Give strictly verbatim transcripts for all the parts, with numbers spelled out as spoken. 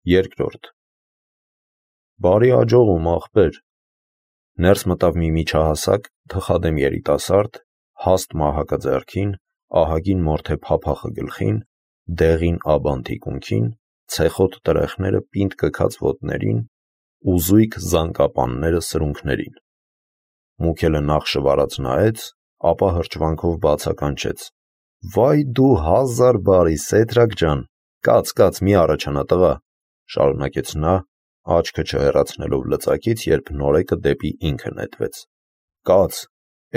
Երկրորդ. Բարի աջողում, ախպեր, ներս մտավ մի միջահասակ, թխադեմ երիտասարդ, հաստ մահակա ձեռքին, ահագին մորթե փափախը գլխին, դեղին աբան թիկունքին, ցեխոտ տրեխները պինդ կքած ոտներին, ուզույք զանկապանները սրունքներին։ Մուքելը նախ շվարած նայեց, ապա հրճվանքով բացականչեց. «Վայ դու հազար բարի, Սեդրակ ջան, կաց, կաց, մի առաջանա տղա», շարունակեց նա, աչքը չհեռացնելով լծակից, երբ նորեկը դեպի ինքը նետվեց. «Կաց,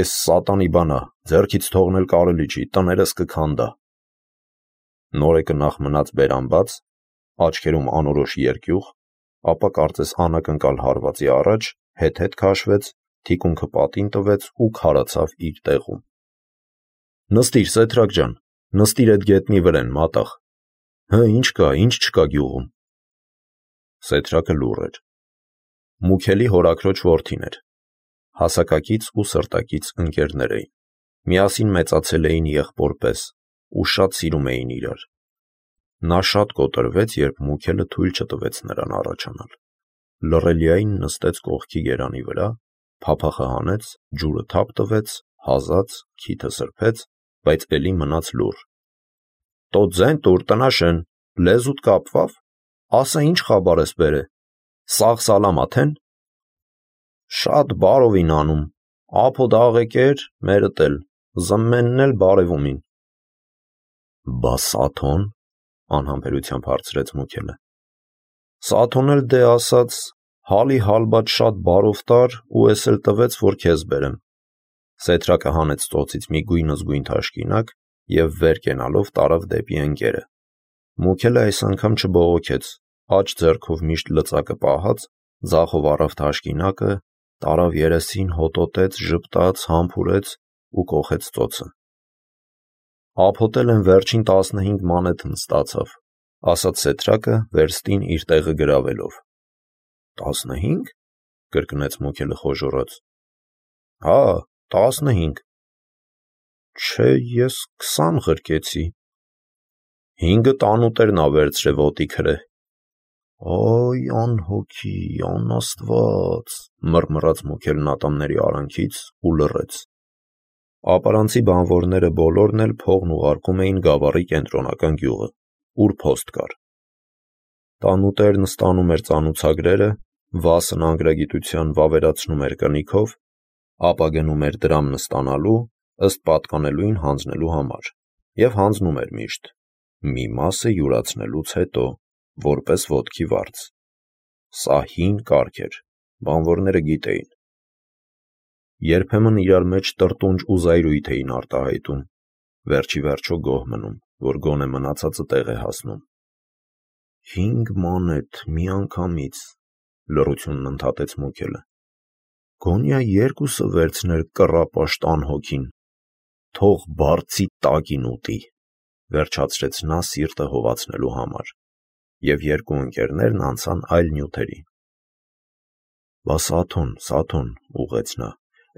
էս սատանի բանա, ձեռքից թողնել կարելի չի, տներս կքանդա»։ Նորեկը նախ մնաց բերանբաց, աչքերում անորոշ երկյուղ, ապա կարծես անակնկալ հարվածի առաջ, հետ-հետ քաշվեց, թիկունքը պատին տվեց ու քարացավ իր տեղում։ «Նստիր, Սեդրակ ջան, նստիր էդ գետնի վրեն, մատաղ։ Հը, ինչ կա, ինչ չկա գյուղում»։ Սեդրակը լուռ էր։ Մուքելի հորաքրոջ որդին էր։ Հասակակից ու սրտակից ընկերներ էին։ Միասին մեծացել էին եղբոր պես ու շատ սիրում էին իրար։ Նա շատ կոտրվեց, երբ Մուքելը թույլ չտվեց նրան առաջանալ։ Լռելիային նստեց կողքի գերանի վրա, փափախը հանեց, ջուրը թափ տվեց, հազաց, քիթը սրբեց, բայց էլի մնաց լուռ։ «Տո ձեն տուր, տնաշեն, լեզուտ կապվավ, ասա ինչ խաբար ես բերե, սաղ սալամաթ են»։ «Շատ բարովին անում, ափոդ աղեկեր, մերդ էլ, զմմենն էլ բարևումին»։ «Բա Սաթոն», անհամբերությամբ հարցրեց Մուքելը։ «Սաթոն էլ դե ասաց, հալի հալբադ շատ բարով տար ու էս էլ տվեց, որ քեզ բերեմ»։ Սեդրակը հանեց ծոցից մի գույնզգույն թաշկինակ և վեր կենալով տարավ դեպի ընկերը։ Մուքելը այս անգամ չբողոքեց, աջ ձեռքով միշտ լծակը պահած, ձախով առավ թաշկինակը, տարավ երեսին, հոտոտեց, ժպտաց, համբուրեց ու կոխեց ծոցը։ «Ափոտել եմ վերջին տասնհինգ մանեթն ստացավ», ասաց Սեդրակը, վերստին իր տեղը գրավելով։ «Տասնհի՞նգ», կրկնեց Մուքելը խոժոռաց։ «Հա, տասնհինգ»։ «Չէ, ես քսան ղրկեցի»։ «Հինգը տանուտերն ա վերցրե ոտի քրե»։ «Այ անհոգի, անաստված», մռմռաց Մուքելն ատամների արանքից ու լռեց։ Ապարանցի բանվորները բոլորն էլ փողն ուղարկում էին գավառի կենտրոնական գյուղը, ուր փոստ կար։ Տանուտերն ստանում էր ծանուցագրերը, Վասն անգրագիտության վավերացնում էր կնիքով, ապա գնում էր դրամն ստանալու, ըստ պատկանելույն հանձնելու համար, և հանձնում էր միշտ, մի մասը յուրացնելուց հետո, որպես ոտքի վարձ։ Սա հին կարգ էր, բանվորները գիտեին։ Երբեմն իրար մեջ տրտունջ ու զայրույթ էին արտահայտում, վերջի վերջո գոհ մնում, որ գոնե մնացածը տեղ է հասնում։ «Հինգ մանեթ միանգամից», լռությունն ընդհատեց Մուքելը։ «Գոնյա երկուսը վերցներ կռապաշտ անհոգին, թող բարձի տակին ուտի», վերջացրեց նա սիրտը հովացնելու համար, և երկու ընկերներն անցան այլ նյութերի։ «Բա Սաթոն, Սաթոն», ուղղեց նա,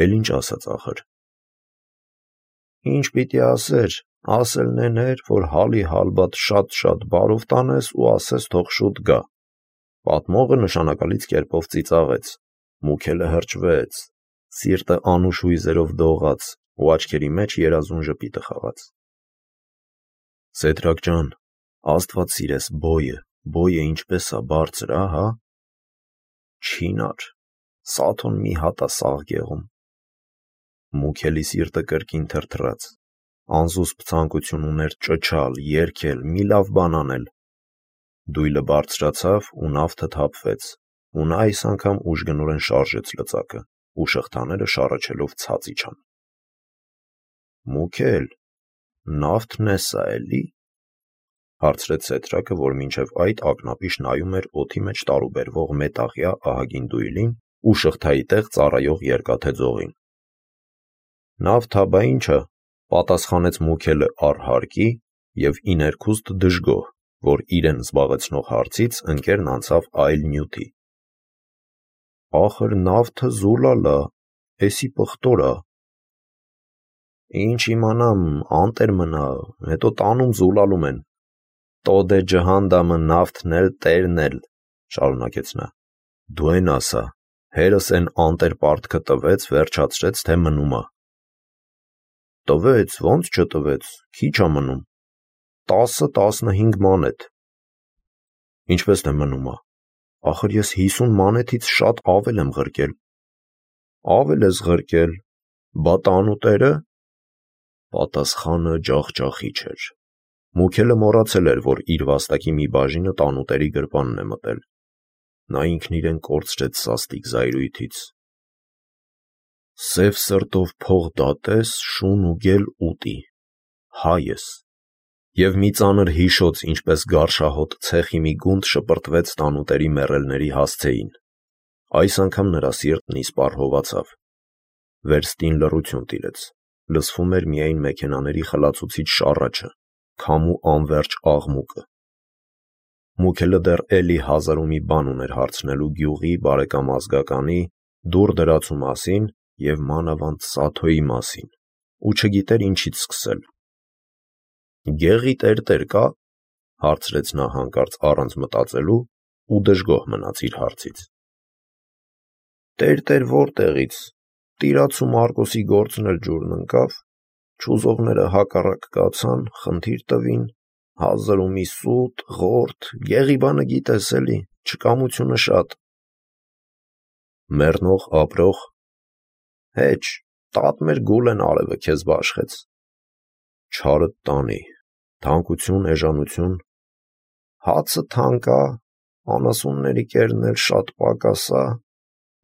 «էլ ինչ ասաց ախր»։ «Ինչ պիտի ասեր, ասելն էր, որ հալի հալբադ շատ-շատ բարով տանես ու ասես թող շուտ գա»։ Պատմողը նշանակալից կերպով ծիծաղեց։ Մուքելը հրճվեց, սիրտը անուշ հույզերով դողաց ու աչքերի մեջ երազուն ժպիտը խաղաց։ «Սեդրակ ջան, աստված սիրես, բոյը, բոյը ինչպես ա բարձր, ահա»։ «Չինար, Սաթոն մի հատ ա սաղ գեղում»։ Մուքելի սիրտը կրկին թրթռաց, անզուսպ ցանկություն ուներ ճչալ, երգել, մի լավ բան անել։ Դույլը բարձրացավ ու նավթը թափվեց, ու նա այս անգամ ուժգնորեն շարժեց լծակը, ու շղթաները շառաչելով ցած իջան։ «Մուքել, նավթն էս ա էլի»։ հարցրեց Սեդրակը, որ մինչև այդ ակնապիշ նայում էր օդի մեջ տարուբերվող մետաղյա ահագին դույլին ու շղթայի տեղ ծառայող երկաթե ձողին։ «Նավթ ա, բա ինչ ա», պատասխանեց Մուքելը առհարկի և ի ներքուստ դժգոհ, որ իրեն զբաղեցնող հարցից ընկերն անցավ այլ նյութի։ «Ախր նավթը զուլալ ա, էսի պղտոր ա»։ «Ինչ իմանամ, անտեր մնա, հետո տանում զուլալում են»։ Տոդե ջհանդամը նավթն էլ տերն էլ, շարունակեց նա, դու են ասա, հերս են անտեր պարտքը տվեց, վերջացրեց, թե մնում ա։ Տվեց, ոնց չտվեց, քիչ ա մնում, տասը տասնհինգ մանեթ։ Ինչպես թե մնում ա, ախր ես հիսուն մանեթից շատ ավել եմ ղրկել։ Ավել ես ղրկել, բա տանուտերը։ Պատասխանը ջախջախիչ էր։ Մուքելը մոռացել էր, որ իր վաստակի մի բաժինը տանուտերի գրպանն է մտել։ Նա ինքն իրեն կորցրեց սաստիկ զայրույթից։ Սև սրտով փող դատես, շուն ու գել ուտի, հայ ես։ Եվ մի ծանր հիշոց, ինչպես գարշահոտ ցեխի մի գունդ շպրտվեց տանուտերի մեռելների հասցեին։ Այս անգամ նրա սիրտն իսպառ հովացավ։ Վերստին լռություն տիրեց, լսվում էր միայն մեքենաների խլացուցիչ շառաչը, քամու անվերջ աղմուկը։ Մուքելը դեռ էլի հազար ու մի բան ուներ հարցնելու գյուղի բարեկամ ազգականի, դուռ դրացու մասին և մանավանդ Սաթոյի մասին, ու չգիտեր ինչից սկսել։ Գեղի տերտեր կա, հարցրեց նա հանկարծ առանց մտածելու ու դժգոհ մնաց իր հարցից։ Տերտեր որտեղից, տիրացու Մարկոսի գործն էլ ջուրն ընկավ, չուզողները հակառակ կացան, խնդիր տվին, հազար ու մի սուտ, ղորդ, գեղի բանը գիտես էլի, չկամությունը շատ։ Մեռնող, ապրող։ Հեչ, տատ մեր գուլեն արևը քեզ բաշխեց։ Չարդ տանի, թանկություն, էժանություն։ Հացը թանկ ա, անասունների կերն էլ շատ պակաս ա,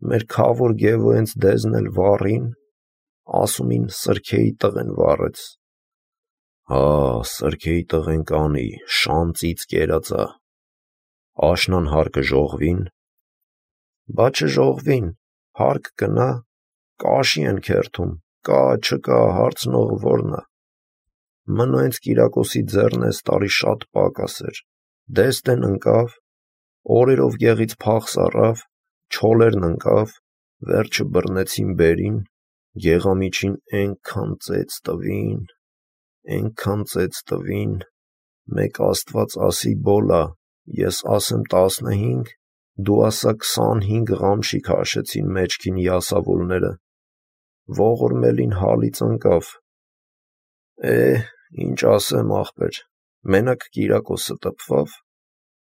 մեր քավոր գևը հենց դեզն էլ վառին, ասումին սրքեի տղեն վառեց։ Հա, սրքեի տղեն կանի, շան ծիծ կերած ա։ Աշնան հարկը ժողվին։ Բա չժողվին, հարկ կնա, կաշի են քերթում, կա, չկա, հարցնողը որն ա։ Մնո հենց Կիրակոսի ձեռն էս տարի շատ պակաս էր, դեստեն ընկավ, օրերով գեղից փախս առավ, չոլերն ընկավ, վերջը բռնեցին բերին, գեղամիջին էնքան ծեծ տվին, էնքան ծեծ տվին, մեկ աստված ասի բոլա, ես ասեմ տասնհինգ, դու ասա քսանհինգ ղամշիկ հաշեցին մեջքին յասավոլները, ողորմելին հալից ընկավ։ Է, ինչ ասեմ ախպեր, մենակ Կիրակոսը տպվավ,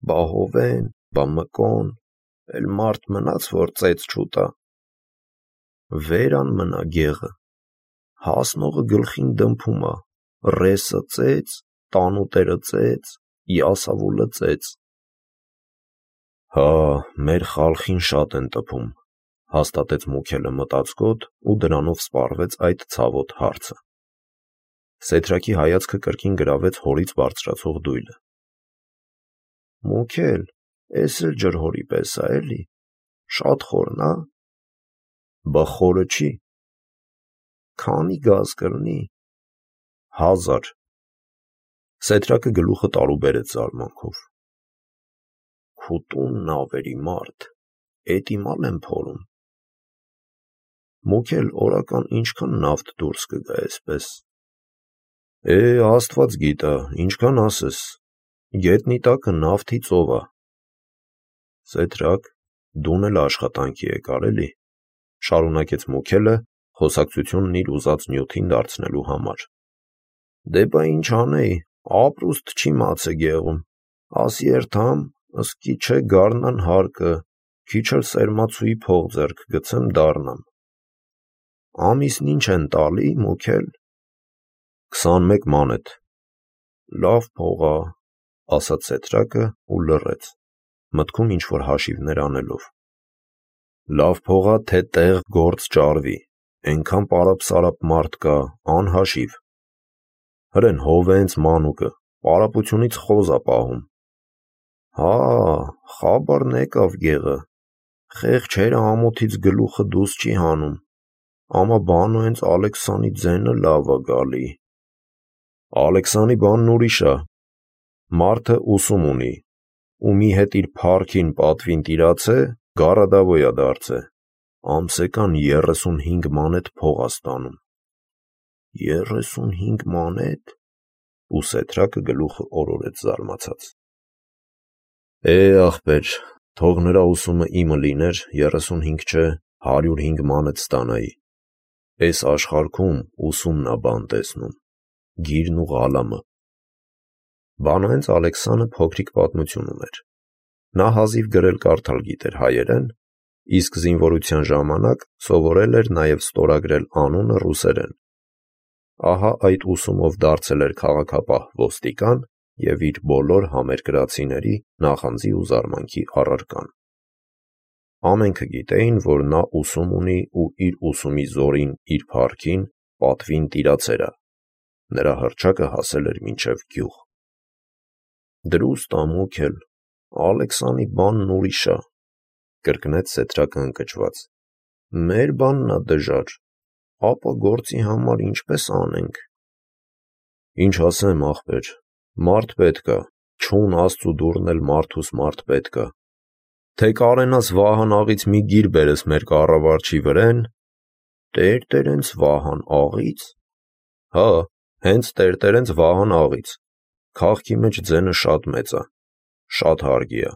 բա Հովեն, բա Մկոն, էլ մարդ մնաց, որ ծեծ չուտա։ Վերան մնա գեղը, հասնողը գլխին դմփում ա, ռեսը ծեծ, տանուտերը ծեծ, յասավոլը ծեծ։ Հա, մեր խալխին շատ են տպում, հաստատեց Մուքելը մտածկոտ ու դրանով սպառվեց այդ ցավոտ հարցը։ Սեթրակի հայացքը կրկին գրավեց հորից բարձրացող դույլը։ Մուքել, էս էլ ջրհորի պես ա էլի, շատ խորն ա։ Բա խորը չի։ Քանի գազ կլինի։ Հազար։ Սեթրակը գլուխը տարուբերեց զարմանքով։ Քու տունն ավերի մարդ, էդ իմալ եմ փորում։ Մուքել օրական ինչքան նավթ դուրս կգա էսպես։ Է, աստված գիտա, ինչքան ասես, գետնի տակը նավթի ծով ա։ Սեթրակ, դուն էլ աշխատանքի եկար էլի, շարունակեց Մուքելը, խոսակցությունն իր ուզած նյութին դարձնելու համար։ Դե բա ինչ անեի, ապրուստ չի մացե գեղում, ասի երթամ, ըսկի չէ գարնան հարկը, քիչ էլ սերմացուի փող ձեռք գցեմ դառնամ։ Ամիսն ինչ են տալի, Մուքել։ Քսանմեկ մանեթ։ Լավ փող ա, ասաց Սեթրակը ու լռեց, մտքում ինչ-որ հաշիվներ անելով։ Լավ փող ա, թե տեղ գործ ճարվի, էնքան պարապ-սարապ մարդ կա, անհաշիվ։ Հրեն Հովենց մանուկը, պարապությունից խոզ ա պահում։ Հա, խաբարն եկավ գեղը, խեղճերը ամոթից գլուխը դուս չի հանում, ամա բանո հենց Ալեքսանի ձենը լավ ա գալի։ Ալեքսանի բանն ուրիշ ա, մարդը ուսում ունի, ումի հետ իր փառքին պատվին տիրացե, գարադավոյ ա դարձե, ամսեկան երեսունհինգ մանեթ փող ա ստանում։ Երեսունհինգ մանեթ։ ու Սեդրակը գլուխը օրորեց զարմացած։ Է, ախպեր, թող նրա ուսումը իմը լիներ, երեսունհինգ չէ, հարյուր հինգ մանեթ ստանայի։ Էս աշխարհքում ուսումն ա բան տեսնում, գիրն ու ղալամը։ Բանահենց Ալեքսանը փոքրիկ պատմություն ուներ։ Նա հազիվ գրել-կարդալ գիտեր հայերեն, իսկ զինվորության ժամանակ սովորել էր նաև ստորագրել անունը ռուսերեն։ Ահա այդ ուսումով դարձել էր քաղաքապահ ոստիկան և իր բոլոր համերկրացիների նախանձի ու զարմանքի առարկան։ Ամենքը գիտեին, որ նա ուսում ունի ու իր ուսումի զորին իր փառքին, պատվին տիրացել ա։ Նրա հռչակը հասել էր մինչև գյուղ։ Դրուստ ամոք էլ, Ալեքսանի բանն ուրիշ ա, կրկնեց Սեդրակը ընկճված։ Մեր բանն ա դժար, ապա գործի համար ինչպես անենք։ Ինչ ասեմ, ախպեր, մարդ պետք ա, չուն Աստծու դուռն էլ մարդուս մարդ պետք ա։ Թե կարենաս Վահան աղից մի գիր բերես մեր կառավարչի վրեն։ Տերտերենց Վահան աղից։ Հա, հենց տերտերենց Վահան աղից։ Քաղքի մեջ ձենը շատ մեծ ա, շատ հարգի ա։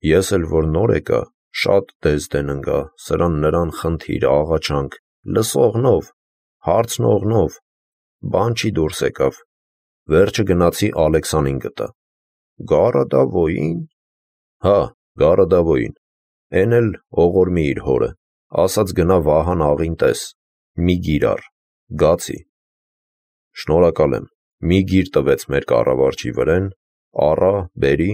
Ես էլ որ նոր եկա, շատ դեզդեն ընկա, սրան նրան խնդիր, աղաչանք, լսողնով, հարցնողնով, բան չի դուրս եկավ։ Վերջը գնացի Ալեքսանին գտա։ Գարադավոյի՞ն։ Հա, Գարադավոյին։ Էն էլ ողորմի իր հորը, ասաց գնա Վահան աղին տես, մի գիր առ, գացի։ Շնորհակալ եմ, մի գիր տվեց մեր կառավարչի վրեն, առա, բերի,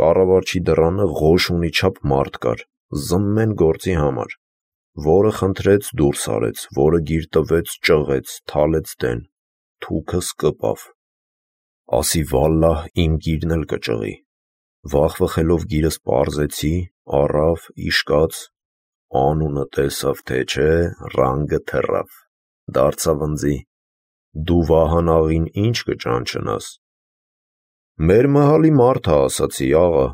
կառավարչի դռանը ղոշ ունի չափ մարդ կար, զմմեն գործի համար, որը խնդրեց դուրս արեց, որը գիր տվեց ճղեց, թալեց դեն, թուքս կպավ։ Ասի վալլահ իմ գիրն էլ կճղի։ Վախվխելով գիրս պարզեցի, առավ, իշկաց, անունը տեսավ, թե չէ, ռանգը թռավ, դարձավ ընձի։ Դու Վահան աղին ինչ կճանչնաս։ Մեր մհալի մարդ ա, ասացի, աղա։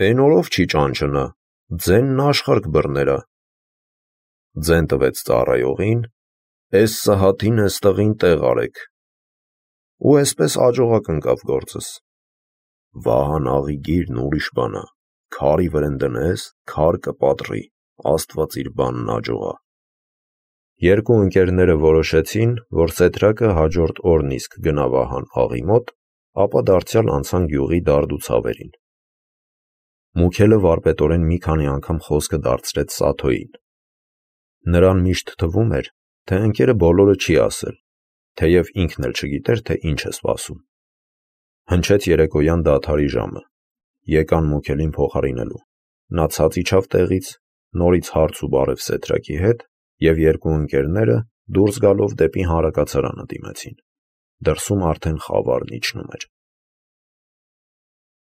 Էն օրով չի ճանչնա, ձենն աշխարհ կբռներա։ Ձեն տվեց ծառայողին, էս Սահաթին էստեղին տեղ արեք։ Ու էսպես աջողակ ընկավ գործս։ Վահան աղի գիրն ուրիշ բան ա, քարի վրեն դնես, քար կպատրի, Աստված իր բանն աջողա։ Երկու ընկերները որոշեցին, որ Սեդրակը հաջորդ օրն իսկ գնա Վահան աղի մոտ, ապա դարձյալ անցան գյուղի դարդ ու ցավերին։ Մուքելը վարպետորեն մի քանի անգամ խոսքը դարձրեց Սաթոյին։ Նրան միշտ թվում էր, թե ընկերը բոլորը չի ասել, թեև ինքն էլ չգիտեր, թե ինչ է սպասում։ Հնչեց երեկոյան դադարի ժամը։ Եկան Մուքելին փոխարինելու։ Նա ցած իջավ տեղից, նորից հարց ու բարև Սեդրակի հետ, և երկու ընկերները դուրս գալով դեպի հանրակացարանը դիմեցին։ Դրսում արդեն խավարն իջնում էր։